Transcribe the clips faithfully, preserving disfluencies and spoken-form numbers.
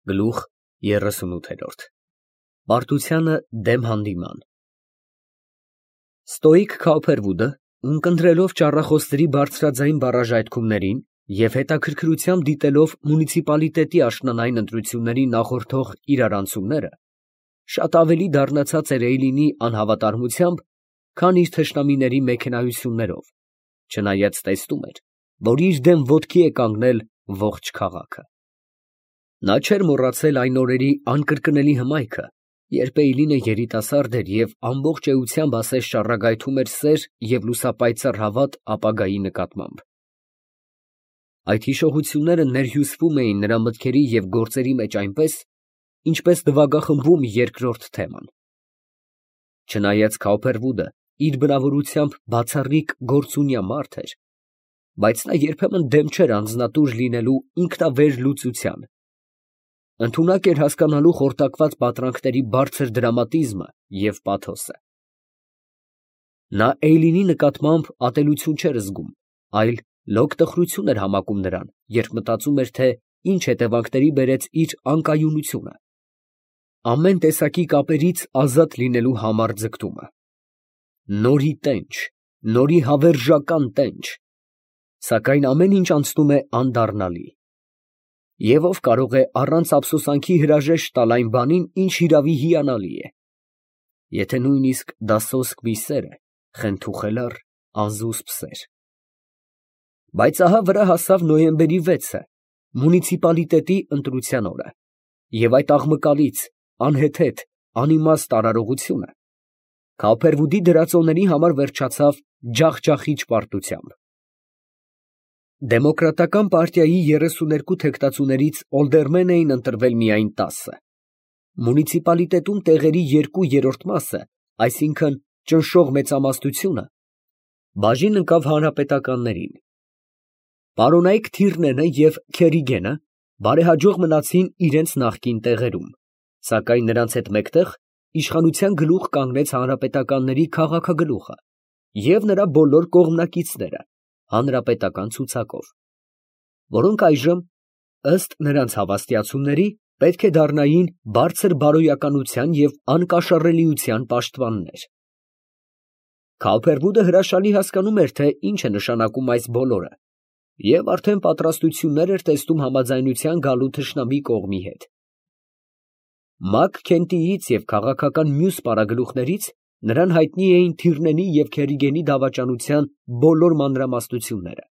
Գլուխ երեսունութ Պարտությանը դեմ հանդիման Ստոիկ Քաուփերվուդը, ունկնդրելով ճառախոսների բարձրաձայն բառաժայթքումներին և հետաքրքրությամբ դիտելով մունիցիպալիտետի աշնանային ընտրությունների նախորդող իրարանցումները, շատ ավելի դառնացած էր Էյլինի անհավատարմությամբ, քան իր թշնամիների մեքենայություններով, չնայած տեսնում էր, որ իր դեմ ոտքի է կանգնել ողջ քաղաքը։ Նա չէր մոռացել այն օրերի անկրկնելի հմայքը, երբ Էյլինը երիտասարդ էր և ամբողջ էությամբ ասես ճառագայթում էր սեր և լուսապայծառ հավատ ապագայի նկատմամբ։ Այդ հիշողությունները ներհյուսվում էին նրա մտքերի և գործերի մեջ այնպես, ինչպես նվագախմբում երկրորդ թեման։ Չնայած Քաուփերվուդը իր բնավորությամբ բացառիկ գործունյա մարդ էր, բայց նա երբեմն դեմ չէր անձնատուր լինելու ինքնավեր լուծության, ընդունակ էր հասկանալու խորտակված պատրանքների բարձր դրամատիզմը և պաթոսը։ Նա Էյլինի նկատմամբ ատելություն չէր զգում, այլ լոկ տխրություն էր համակում նրան, երբ մտածում էր, թե ինչ հետևանքների բերեց իր անկայունությունը, ամեն տեսակի կապերից ազատ լինելու համառ ձգտումը։ Նորի տենչ, նորի հավերժական տենչ, սակայն ամեն ինչ անցնում է անդառնալի։ Եվ ով կարող է առանց ափսոսանքի հրաժեշտ տալ այն բանին, ինչ հիրավի հիանալի է, եթե նույնիսկ դա սոսկ մի սեր է, խենթուխելառ, անզուսպ սեր։ Բայց ահա վրա հասավ նոյեմբերի վեցը, մունիցիպալիտետի ընտրության օրը, և այդ աղմկալից, անհեթեթ, անիմաստ արարողությունը Քաուփերվուդի դրածոների համար վերջացավ ջախջախիչ պարտությամբ։ Դեմոկրատական պարտիայի երեսուներկու թեկնածուներից օլդերմեն էին ընտրվել միայն տասը։ Մունիցիպալիտետում տեղերի երկու երրորդ մասը, այսինքն ճնշող մեծամասնությունը, բաժին ընկավ հանրապետականներին։ Պարոնայք Թիրնենը և Քերիգենը բարեհաջող մնացին իրենց նախկին տեղերում, սակայն նրանց հետ մեկտեղ իշխանության գլուխ կանգնեց հանրապետականների քաղաքագլուխը և նրա բոլոր կողմնակիցները հանրապետական ցուցակով, որոնք այժմ, ըստ նրանց հավաստիացումների, պետք է դառնային բարձր բարոյականության և անկաշառելիության պաշտպաններ։ Քաուփերվուդը հրաշալի հասկանում էր, թե ինչ է նշանակում այս բոլորը, և արդեն պատրաստություններ էր տեսնում համաձայնության գալու թշնամի կողմի հետ։ Մակ Քենտիից և քաղաքական մյուս պարագլուխներից նրան հայտնի էին Թիրնենի և Քերիգենի դավաճանության բոլոր մանրամասնությունները,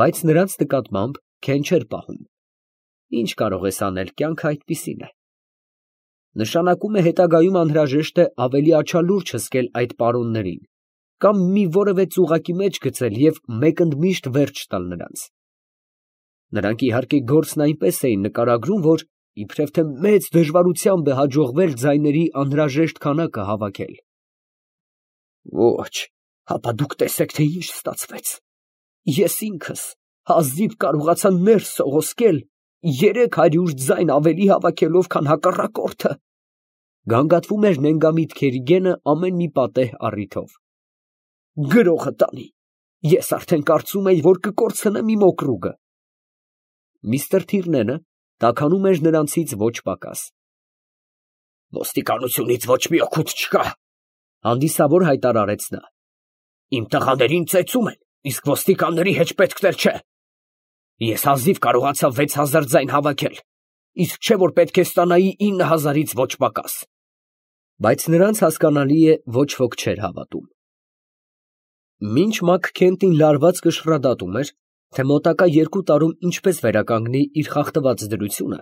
բայց նրանց նկատմամբ քեն չէր պահում։ Ինչ կարող ես անել, կյանքը այդպիսին է։ Նշանակում է հետագայում անհրաժեշտ է ավելի աչալուրջ հսկել այդ պարոններին կամ մի որևէ ծուղակի մեջ գցել և մեկընդմիշտ վերջ տալ նրանց։ Նրանք իհարկե գործն այնպես էին նկարագրում, որ իբրև թե մեծ դժվարությամբ է հաջողվել ձայների անհրաժեշտ քանակը հավաքել։ Ոչ, հապա դուք տեսեք, թե ինչ ստացվեց։ Ես ինքս հազիվ կարողացա ներս սողոսկել երեք հարյուր ձայն ավելի հավաքելով, քան հակառակորդը, գանգատվում էր նենգամիտ Քերիգենը ամեն մի պատեհ առիթով։ Գրողը տանի, ես արդեն կարծում էի, որ կկորցնեմ իմ օկրուգը։ Միստր Թիրնենը տաքանում էր նրանցից ոչ պակաս։ Ոստիկանությունից ոչ մի օգուտ չկա, հանդիսավոր հայտարարեց նա։ Իմ տղաներին ծեծում են, իսկ ոստիկանների հեչպետքն էլ չէ։ Ես հազիվ կարողացա վեց հազար ձայն հավաքել, իսկ չէ որ պետք է ստանայի ինը հազարից ոչ պակաս։ Բայց նրանց հասկանալի է, ոչ ոք չէր հավատում։ Մինչ Մակ Քենտին լարված կշռադատում էր, թե մոտակա երկու տարում ինչպես վերականգնի իր խախտված դրությունը,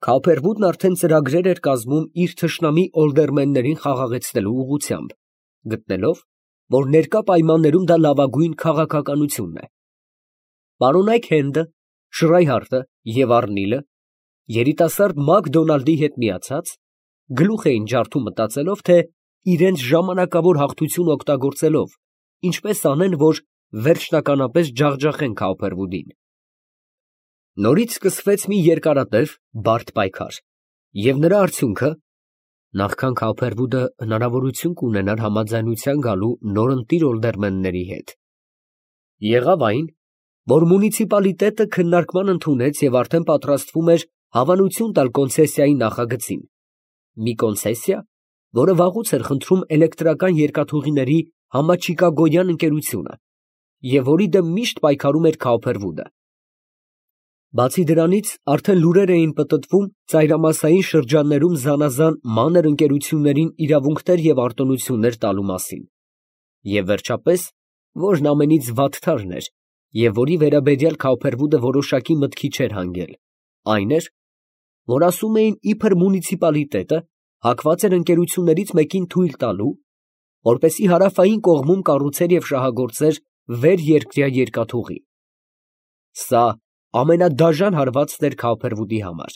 Քաուփերվուդն արդեն ծրագրեր էր կազմում իր թշնամի օլդերմեններին խաղաղեցնելու ուղղությամբ, գտնելով, որ ներկա պայմաններում դա լավագույն քաղաքականությունն է։ Պարոնայք Հենդը, Շրայհարտը և Առնիլը, երիտասարդ Մակդոնալդի հետ միացած, գլուխ էին ջարդում մտածելով, թե իրենց ժամանակավոր հաղթությունը օգտագործելով, ինչպես անեն, որ վերջնականապես ջախջախեն Քաուփերվուդին։ Նորից սկսվեց մի երկարատև, բարդ պայքար, և նրա արդյունքը, նախքան Քաուփերվուդը հնարավորություն կունենար համաձայնության գալու նորընտիր օլդերմենների հետ, եղավ այն, որ մունիցիպալիտետը քննարկման ընդունեց և արդեն պատրաստվում էր Հավանություն տալ կոնցեսիայի նախագծին, մի կոնցեսիա, որը վաղուց էր խնդրում էլեկտրական երկաթուղիների համաչիկագոյան ընկերությունը և որի դեմ միշտ պայքարում էր Քաուփերվուդը։ Բացի դրանից, արդեն լուրեր էին պտտվում ծայրամասային շրջաններում զանազան մանր ընկերություններին իրավունքներ և արտոնություններ տալու մասին, և վերջապես, որն ամենից վատթարն էր, և որի վերաբերյալ Քաուփերվուդը որոշակի մտքի չէր հանգել, այն էր, որ ասում էին, իբր մունիցիպալիտետը հակված էր ընկերություններից մեկին թույլ տալու, որպեսզի հարավային կողմում կառուցեր և շահագործեր վերերկրյա երկաթուղի։ Սա ամենադաժան հարվածն էր Քաուփերվուդի համար,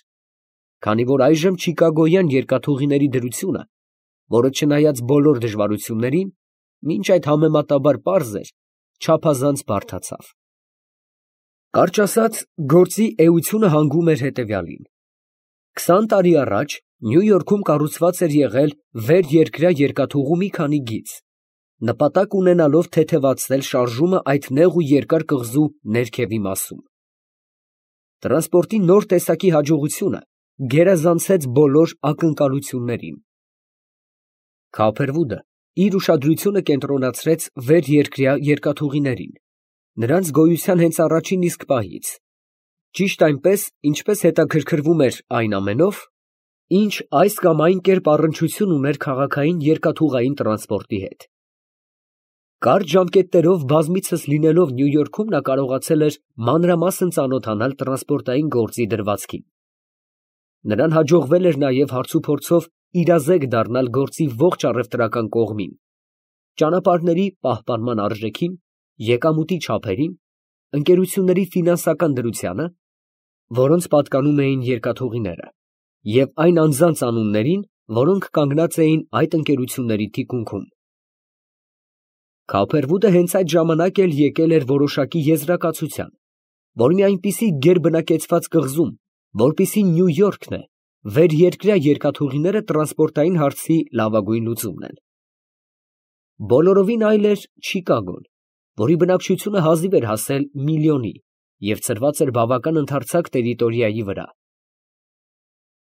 քանի որ այժմ չիկագոյան երկաթուղիների դրությունը, որը չնայած բոլոր դժվարություններին, մինչ այդ համեմատաբար պարզ էր, չափազանց բարդացավ։ Կարճ ասած, գործի էությունը հանգում էր հետևյալին. Քսան տարի առաջ Նյու Յորքում կառուցված էր եղել վերերկրյա երկաթուղու մի քանի գիծ, նպատակ ունենալով թեթևացնել շարժումը այդ նեղ ու երկար կղզու ներքևի մասում։ Տրանսպորտի նոր տեսակի հաջողությունը գերազանցեց բոլոր ակնկալություններին։ Քաուփերվուդը իր ուշադրությունը կենտրոնացրեց վերերկրյա երկաթուղիներին, նրանց գոյության հենց առաջին իսկ պահից, ճիշտ այնպես, ինչպես հետաքրքրվում էր այն ամենով, ինչ այս կամ այն կերպ առնչություն ուներ քաղաքային երկաթուղային տրանսպորտի հետ։ Կարճ ժամկետներով բազմիցս լինելով Նյու Յորքում նա կարողացել էր մանրամասն ծանոթանալ տրանսպորտային գործի դրվածքին։ Նրան հաջողվել էր նաև հարցուփորձով իրազեկ դառնալ գործի ողջ առևտրական կողմին, ճանապարհների պահպանման արժեքին, եկամուտի չափերին, ընկերությունների ֆինանսական դրությանը, որոնց պատկանում էին երկաթուղիները, և այն անձանց անուններին, որոնք կանգնած էին այդ ընկերությունների թիկունքում։ Քաուփերվուդը հենց այդ ժամանակ էլ եկել էր որոշակի եզրակացության, որ մի այնպիսի գերբնակեցված կղզում, որպիսի Նյու Յորքն է, վերերկրյա երկաթուղիները տրանսպորտային հարցի լավագույն լուծումն են։ Բոլորովին այլ էր Չիկագոն, որի բնակչությունը հազիվ էր հասել միլիոնի և ծրված էր բավական ընդարձակ տերիտորիայի վրա։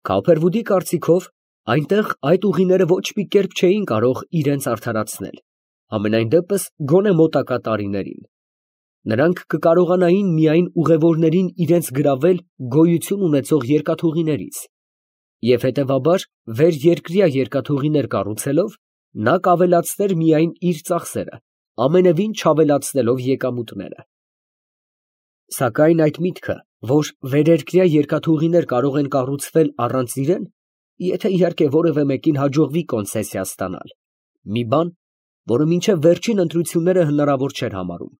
Քաուփերվուդի կարծիքով, այնտեղ այդ ուղիները ոչ մի կերպ չէին կարող իրենց արդարացնել, համենայն դեպս գոնե մոտակա տարիներին։ Նրանք կկարողանային միայն ուղևորներին իրենց գրավել գոյություն ունեցող երկաթուղիներից, և հետևաբար վերերկրյա երկաթուղիներ կառուցելով, նա կավելացներ միայն իր ծախսերը, ամենևին չավելացնելով եկամուտները։ Սակայն այդ միտքը, որ վերերկրյա երկաթուղիներ կարող են կառուցվել առանց իրեն, եթե իհարկե որևէ մեկին հաջողվի կոնցեսիա ստանալ, մի բան, որը մինչև վերջին ընտրությունները հնարավոր չէր համարում,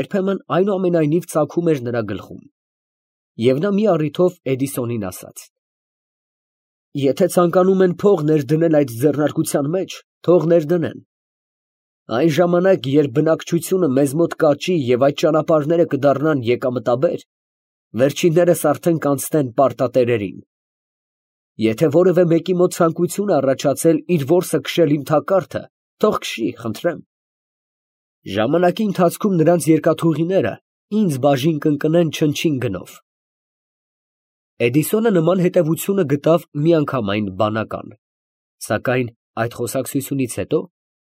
երբեմն այնուամենայնիվ ծագում էր նրա գլխում։ Եվ նա մի առիթով Էդիսոնին ասաց. «Եթե ցանկանում են փող ներդնել այդ ձեռնարկության մեջ, թող ներդնեն։ Այն ժամանակ, երբ բնակչությունը մեզ մոտ կաճի և այդ ճանապարհները կդառնան եկամտաբեր, վերջիններս արդեն կանցնեն պարտատերերին։ Եթե որևէ մեկի մոտ ցանկություն է առաջացել իր որսը քշել իմ թակարդը, թող քշի, խնդրեմ։ Ժամանակի ընթացքում նրանց երկաթուղիները ինձ բաժին կընկնեն չնչին գնով»։ Էդիսոնը նման հետևությունը գտավ միանգամայն բանական, սակայն այդ խոսակցությունից հետո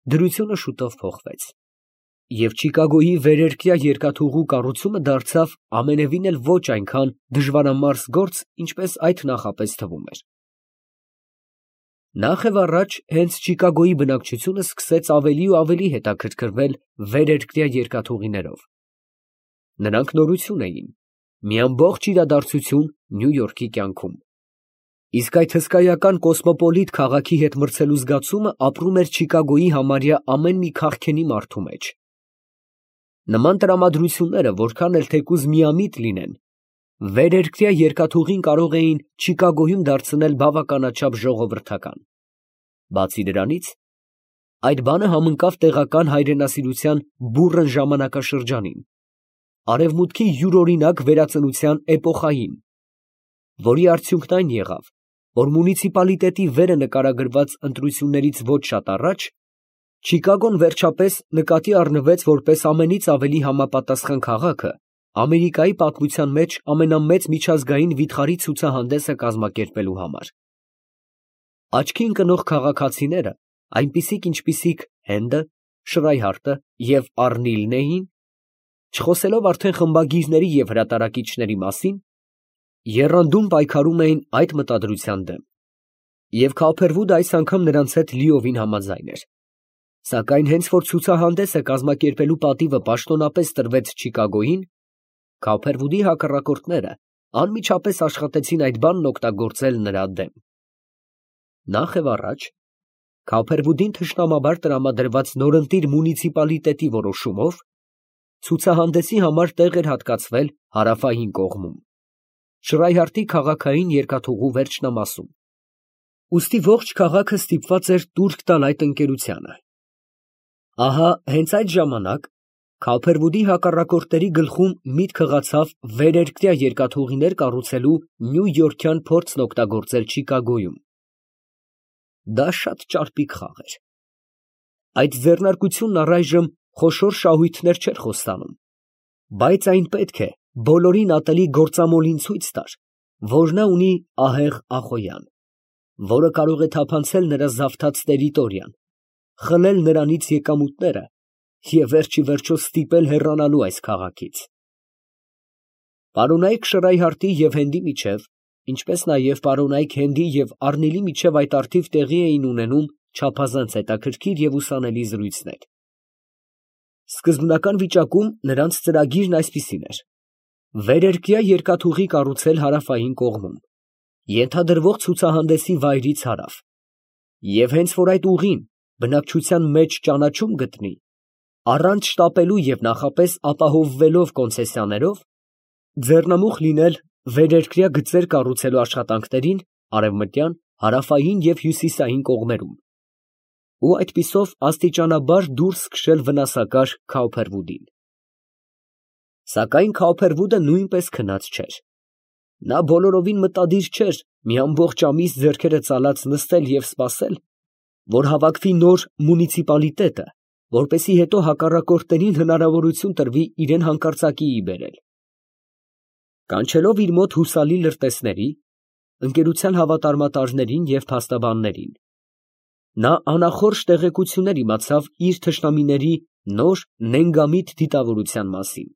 դրությունը շուտով փոխվեց, և Չիկագոյի վերերկրյա երկաթուղու կառուցումը դարձավ ամենևին էլ ոչ այնքան դժվարամարս գործ, ինչպես այդ նախապես թվում էր։ Նախ և առաջ հենց Չիկագոյի բնակչությունը սկսեց ավելի ու ավելի հետաքրքրվել վերերկրյա երկաթուղիներով։ Նրանք նորություն էին, մի ամբողջ իրադարձություն Նյու Յորքի կյանքում, իսկ այդ հսկայական կոսմոպոլիտ քաղաքի հետ մրցելու զգացումը ապրում էր Չիկագոյի համարյա ամեն մի քաղքենի մարդու մեջ։ Նման տրամադրությունները, որքան էլ թեկուզ միամիտ լինեն, վերերկրյա երկաթուղին կարող էին Չիկագոյում դարձնել բավականաչափ ժողովրդական։ Բացի դրանից, այդ բանը համընկավ տեղական հայրենասիրության բուռն ժամանակաշրջանին, Արևմուտքի յուրօրինակ վերածնության էպոխային, որի արդյունքն այն եղավ, որ մունիցիպալիտետի վերը նկարագրված ընտրություններից ոչ շատ առաջ Չիկագոն վերջապես նկատի առնվեց որպես ամենից ավելի համապատասխան քաղաքը Ամերիկայի պատմության մեջ ամենամեծ միջազգային վիթխարի ցուցահանդեսը կազմակերպելու համար։ Աչքի ընկնող քաղաքացիները, այնպիսիք ինչպիսիք Հենդը, Շրայհարտը և Առնիլն էին, չխոսելով արդեն խմբագիրների և հրատարակիչների մասին, եռանդուն պայքարում էին այդ մտադրության դեմ, և Քոփերվուդը այս անգամ նրանց հետ լիովին համաձայն էր, սակայն հենց որ ցուցահանդեսը կազմակերպելու պատիվը պաշտոնապես տրվեց Չիկագոյին, Քոփերվուդի հակառակորդները անմիջապես աշխատեցին այդ բանն օգտագործել նրա դեմ։ Նախ և առաջ Քոփերվուդին թշնամաբար տրամադրված նորընտիր մունիցիպալիտետի որոշումով ցուցահանդեսի համար տեղ էր հատկացվել հարավային կողմում, Շրայհարտի քաղաքային երկաթուղու վերջնամասում, ուստի ողջ քաղաքը ստիպված էր տուրք տալ այդ ընկերությանը։ Ահա հենց այդ ժամանակ Քոփերվուդի հակառակորդների գլխում միտք հղացավ վերերկրյա երկաթուղիներ կառուցելու նյույորքյան փորձն օգտագործել Չիկագոյում։ Դա շատ ճարպիկ խաղ էր։ Այդ ձեռնարկությունն առայժմ խոշոր շահույթներ չէր խոստանում, բայց այն պետք է բոլորին ատելի գործամոլին ցույց տար, որ նա ունի ահեղ Ախոյան, որը կարող է թափանցել նրա զավթած տերիտորիան, խլել նրանից եկամուտները և վերջիվերջո ստիպել հեռանալու այս քաղաքից։ Պարոնայք Շրայհարտի և Հենդի միջև, ինչպես նաև պարոնայք Հենդի և Առնիլի միջև այդ առթիվ տեղի էին ունենում չափազանց հետաքրքիր և ուսանելի զրույցներ։ Սկզբնական վիճակում նրանց ծրագիրն այսպիսին էր. վերերկրյա երկաթուղի կառուցել հարավային կողմում, ենթադրվող ցուցահանդեսի վայրից հարավ, և հենց որ այդ ուղին բնակչության մեջ ճանաչում գտնի, առանց շտապելու և նախապես ապահովվելով կոնցեսիաներով, ձեռնամուխ լինել վերերկրյա գծեր կառուցելու աշխատանքներին արևմտյան, հարավային և հյուսիսային կողմերում ու այդպիսով աստիճանաբար դուրս քշել վնասակար Քոփերվուդին։ Սակայն Քոփերվուդը նույնպես քնած չէր։ Նա բոլորովին մտադիր չէր մի ամբողջ ամիս ձեռքերը ծալած նստել և սպասել, որ հավաքվի նոր մունիցիպալիտետը, որպեսզի հետո հակառակորդներին հնարավորություն տրվի իրան հանկարծակիի բերել։ Կանչելով իր մոտ հուսալի լրտեսների, ընկերության հավատարմատարներին և փաստաբաններին, նա անախորժ տեղեկություններ իմացավ իր թշնամիների նոր նենգամիտ դիտավորության մասին։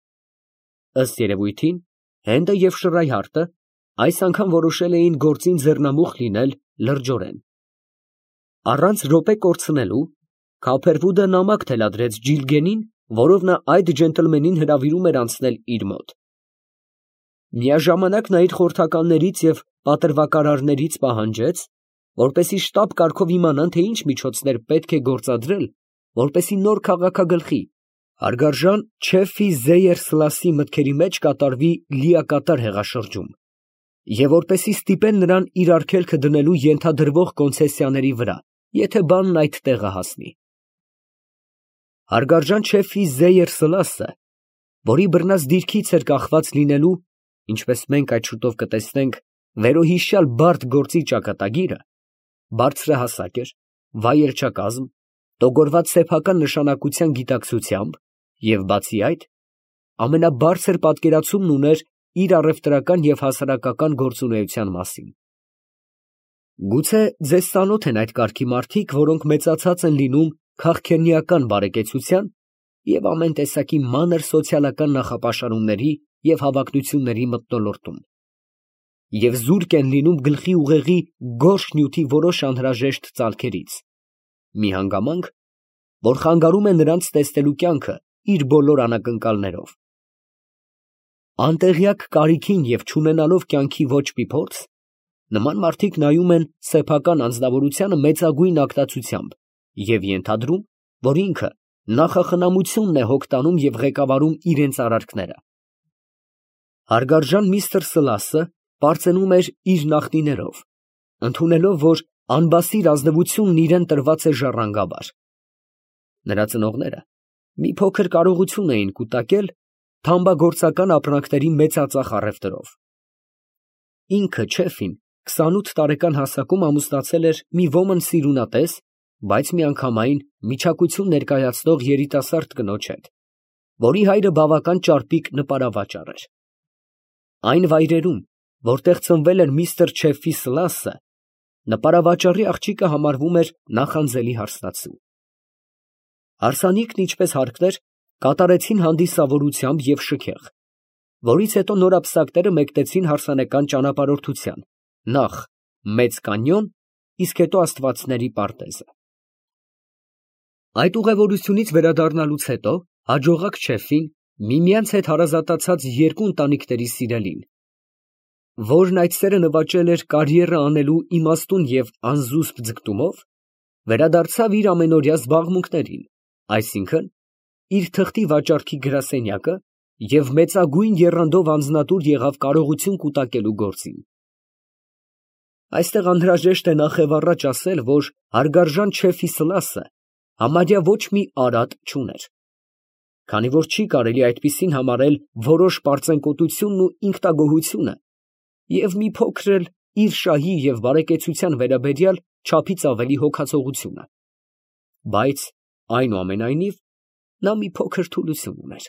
Ըստ երևույթին, Հենդը և Շրայհարտը այս անգամ որոշել էին գործին ձեռնամուխ լինել լրջորեն։ Առանց րոպե կորցնելու, Քոփերվուդը նամակ թելադրեց Ջիլգենին, որով նա այդ ջենտլմենին հրավիրում էր անցնել իր մոտ։ Միաժամանակ նա իր խորհրդականներից և պատրվակարարներից պահանջեց, որպեսզի շտապ կարգով իմանան, թե ինչ միջոցներ պետք է գործադրել, որպեսզի նոր քաղաքագլխի հարգարժան Չեֆի Զեյեր֊Սլասի մտքերի մեջ կատարվի լիակատար հեղաշրջում, և որպեսզի ստիպեն նրան իր արգելքը դնելու ենթադրվող կոնցեսիաների վրա, եթե բանն այդ տեղը հասնի։ Հարգարժան Չեֆի Զեյեր֊Սլասը, որի բռնած դիրքից էր կախված լինելու, ինչպես մենք այդ շուտով կտեսնենք, վերոհիշյալ բարդ գործի ճակատագիրը, բարձրահասակ էր, վայելչակազմ, տոգորված սեփական նշանակության գիտակցությամբ և, բացի այդ, ամենաբարձր պատկերացումն ուներ իր առևտրական և հասարակական գործունեության մասին։ Գուցե ձեզ ծանոթ են այդ կարգի մարդիկ, որոնք մեծացած են լինում քաղքենիական բարեկեցության և ամեն տեսակի մանր սոցիալական նախապաշարումների և հավակնությունների մթնոլորտում, և զուրկ են լինում գլխի ուղեղի գորշ նյութի որոշ անհրաժեշտ ծալքերից, մի հանգամանք, որ խանգարում է նրանց տեսնելու կյանքը իր բոլոր անակնկալներով։ Անտեղյակ կարիքին և չունենալով կյանքի ոչ մի փորձ, նման մարդիկ նայում են սեփական անձնավորությանը մեծագույն ագտացությամբ և ենթադրում, որ ինքը նախախնամությունն է հոգ տանում և ղեկավարում իրենց արարքները։ Հարգարժան միստր Սլասը պարծենում էր իր նախնիներով, ընդունելով, որ անբասիր ազնվությունն իրան տրված է ժառանգաբար։ Նրա ծնողները մի փոքր կարողություն էին կուտակել թամբագործական ապրանքների մեծածախ առևտրով։ Ինքը Չեֆին քսանութ տարեկան հասակում ամուսնացել էր մի ոմն սիրունատես, բայց միանգամայն միջակություն ներկայացնող երիտասարդ կնոջ հետ, որի հայրը բավական ճարպիկ նպարավաճառ էր։ Այն վայրերում, որտեղ ծնվել էր միստր Չեֆի Սլասը, նպարավաճառի աղջիկը համարվում էր նախանձելի հարսնացու։ Հարսանիքն, ինչպես հարկն էր, կատարեցին հանդիսավորությամբ և շքեղ, որից հետո նորապսակները մեկնեցին հարսանեկան ճանապարհորդության, նախ Մեծ կանյոն, իսկ հետո Աստվածների պարտեզը։ Այդ ուղևորությունից վերադառնալուց հետո հաջողակ Չեֆին միմյանց հետ հարազատացած երկու ընտանիքների սիրելին, որն այդ սերը նվաճել էր կարիերա անելու իմաստուն և անզուսպ ձգտումով, վերադարձավ իր ամենօրյա զբաղմունքներին, այսինքն՝ իր թղթի վաճառքի գրասենյակը և մեծագույն եռանդով անձնատուր եղավ կարողություն կուտակելու գործին։ Այստեղ անհրաժեշտ է նախևառաջ ասել, որ հարգարժան Չեֆի Սլասը համարյա ոչ մի արատ չուներ, քանի որ չի կարելի այդպիսին համարել որոշ պարծենկոտությունն ու ինքնագոհությունը և մի փոքր էլ իր շահի և բարեկեցության վերաբերյալ չափից ավելի հոգացողությունը, բայց, այնուամենայնիվ, նա մի փոքր թուլություն ուներ,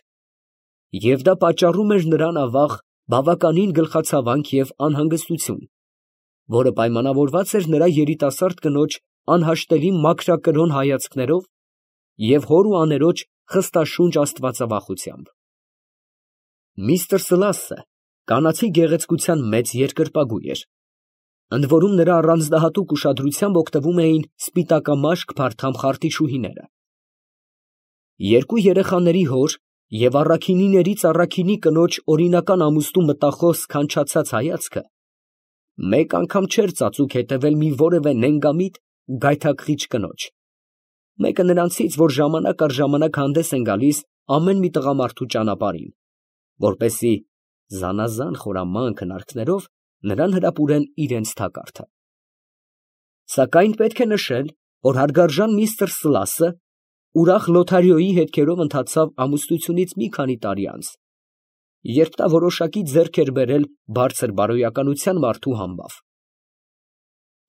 և դա պատճառում էր նրան ավաղ բավականին գլխացավանք և անհանգստություն, որը պայմանավորված էր նրա երիտասարդ կնոջ անհաշտելի մաքրակրոն հայացքներով և հոր ու աներոջ խստաշունչ աստվածավախությամբ։ Միստր Սլասը կանացի գեղեցկության մեծ երկրպագու էր, ընդ որում նրա առանձնահատուկ ուշադրությամբ օգտվում էին սպիտակամաշկ փարթամ խարտիչուհիները։ Երկու երեխաների հոր և առաքինիներից առաքինի կնոջ օրինական ամուսնու մտախոս քանչացած հայացքը մեկ անգամ չէր ծածուկ հետևել մի որևէ նենգամիտ գայթակղիչ կնոջ, մեկը նրանցից, որ ժամանակ առ ժամանակ հանդես են գալիս ամեն մի տղամարդու ճանապարհին, որպեսզի զանազան խորամանկ հնարքներով նրան հրապուրեն իրենց թակարդը։ Սակայն պետք է նշել, որ հարգարժան միստր Սլասը ուրախ Լոթարիոյի հետքերով ընթացավ ամուսնությունից մի քանի տարի անց, երբ նա որոշակի ձեռք էր բերել բարձր բարոյականության մարդու համբավ։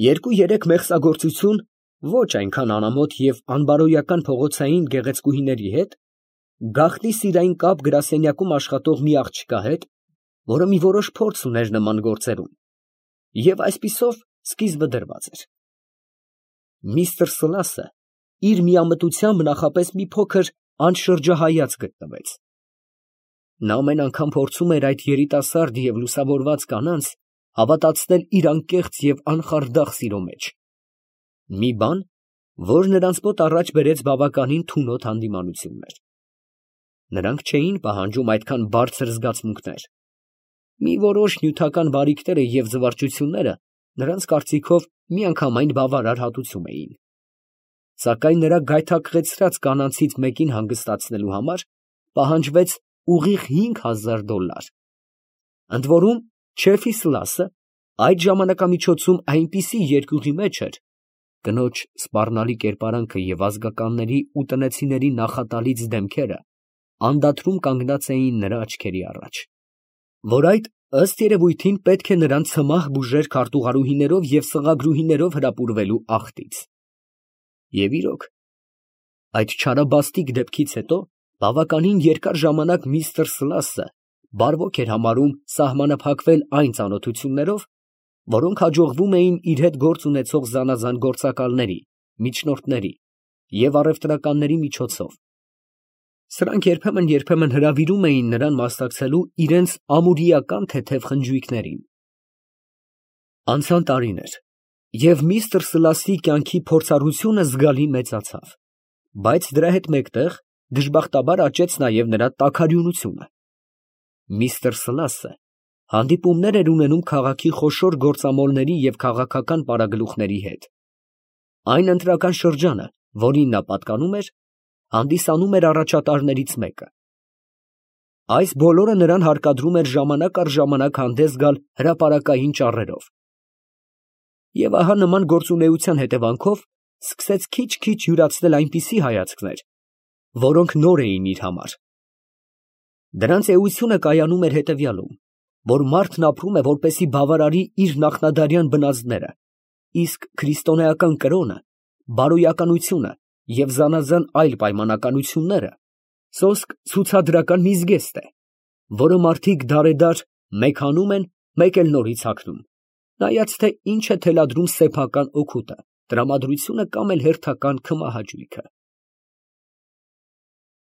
Երկու֊երեք մեղսագործություն ոչ այնքան անամոթ և անբարոյական փողոցային գեղեցկուհիների հետ, գաղտնի սիրային կապ գրասենյակում աշխատող մի աղջկա հետ, որը մի որոշ փորձ ուներ նման գործերում, և այսպիսով սկիզբը դրված էր։ Միստր Սլասը իր միամտությամբ նախապես մի փոքր անշրջահայաց գտնվեց։ Նա ամեն անգամ փորձում էր այդ երիտասարդ և լուսավորված կանանց հավատացնել իր անկեղծ և անխարդախ սիրո մեջ, մի բան, որ նրանց մոտ առաջ բերեց բավականին թունոտ հանդիմանություններ։ Նրանք չէին պահանջում այդքան բարձր զգացմունքներ, մի որոշ նյութական բարիքները և զվարճությունները նրանց կարծիքով միանգամայն բավարար հատուցում էին, սակայն նրա գայթակղեցրած կանանցից մեկին հանգստացնելու համար պահանջվեց ուղիղ հինգ հազար դոլար, ընդ որում Չեֆի Սլասը այդ ժամանակամիջոցում այնպիսի երկյուղի մեջ էր, կնոջ սպառնալի կերպարանքը և ազգականների ու տնեցիների նախատալից դեմքերը անդադրում կանգնած էին նրա աչքերի առաջ, որ այդ, ըստ երևույթին, պետք է նրան ցմահ բուժեր քարտուղարուհիներով և սղագրուհիներով հրապուրվելու աղտից։ Եվ իրոք, այդ չարաբաստիկ դեպքից հետո բավականին երկար ժամանակ միստր Սլասը բարվոք էր համարում սահմանափակվել այն ծանոթություններով, որոնք հաջողվում էին իր հետ գործ ունեցող զանազան գործակալների, միջնորդների և առևտրականների միջոցով։ Սրանք երբեմն֊երբեմն հրավիրում էին նրան մասնակցելու իրենց ամուրիական թեթև խնջույքներին։ Անցան տարիներ, և միստր Սլասի կյանքի փորձառությունը զգալի մեծացավ, բայց դրա հետ մեկտեղ դժբախտաբար աճեց նաև նրա տաքարյունությունը։ Միստր Սլասը հանդիպումներ էր ունենում քաղաքի խոշոր գործամոլների և քաղաքական պարագլուխների հետ։ Այն ընտրական շրջանը, որին նա պատկանում էր, հանդիսանում էր առաջատարներից մեկը։ Այս բոլորը նրան հարկադրում էր ժամանակ առ ժամանակ հանդես գալ հրապարակային ճառերով։ Եվ ահա նման գործունեության հետևանքով սկսեց քիչ֊քիչ յուրացնել այնպիսի հայացքներ, որոնք նոր էին իր համար։ Դրանց էությունը կայանում էր հետևյալում, որ մարդն ապրում է, որպեսզի բավարարի իր նախնադարյան բնազդները, իսկ քրիստոնեական կրոնը, բարոյականությունը և զանազան այլ պայմանականությունները Սոսկ ցուցադրական մի զգեստ է, որը մարդիկ դարեդար մեկ հանում են, մեկ էլ նորից հագնում, նայած թե ինչ է թելադրում սեփական օգուտը, տրամադրությունը կամ էլ հերթական քմահաճույքը։